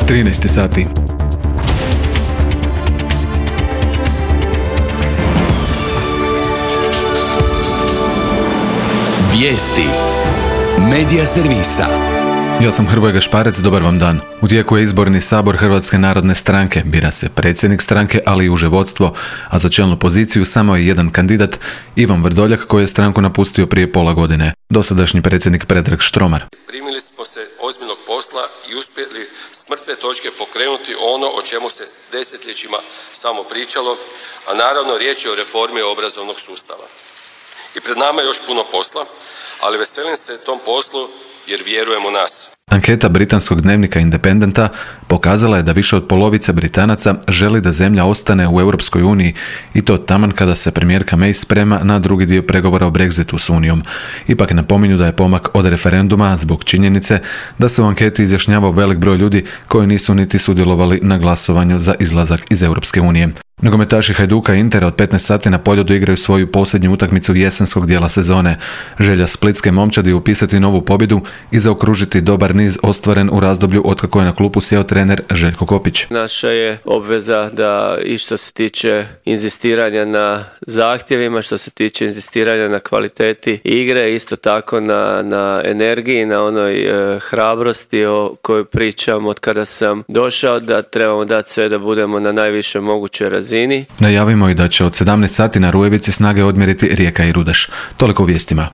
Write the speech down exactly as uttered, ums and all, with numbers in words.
trinaest sati. Vijesti Medija servisa. Ja sam Hrvoje Gašparec, dobar vam dan. U tijeku je izborni sabor Hrvatske narodne stranke. Bira se predsjednik stranke, ali i uže vodstvo, a za čelnu poziciju samo je jedan kandidat, Ivan Vrdoljak, koji je stranku napustio prije pola godine. Dosadašnji predsjednik Predrag Štromar. Primili smo se ozbiljnog posla i uspjeli s mrtve točke pokrenuti ono o čemu se desetljećima samo pričalo, a naravno riječ je o reformi obrazovnog sustava. I pred nama je još puno posla, ali veselim se tom poslu jer vjerujem u nas. Anketa britanskog dnevnika Independenta pokazala je da više od polovice Britanaca želi da zemlja ostane u Europskoj uniji i to taman kada se premijerka May sprema na drugi dio pregovora o Brexitu s Unijom. Ipak napominju da je pomak od referenduma zbog činjenice da se u anketi izjašnjavao velik broj ljudi koji nisu niti sudjelovali na glasovanju za izlazak iz Europske unije. Nogometaši Hajduka i Intera od petnaest sati na Poljudu igraju svoju posljednju utakmicu jesenskog dijela sezone. Želja splitske momčadi je upisati novu pobjedu i zaokružiti dobar niz ostvaren u razdoblju otkako je na klupu sjeo trener Željko Kopić. Naša je obveza da i što se tiče inzistiranja na zahtjevima, što se tiče inzistiranja na kvaliteti igre, isto tako na, na energiji, na onoj e, hrabrosti o kojoj pričam od kada sam došao, da trebamo dati sve da budemo na najviše mogućoj razini. Najavimo i da će od sedamnaest sati na Rujevici snage odmjeriti Rijeka i Rudaš. Toliko u vijestima.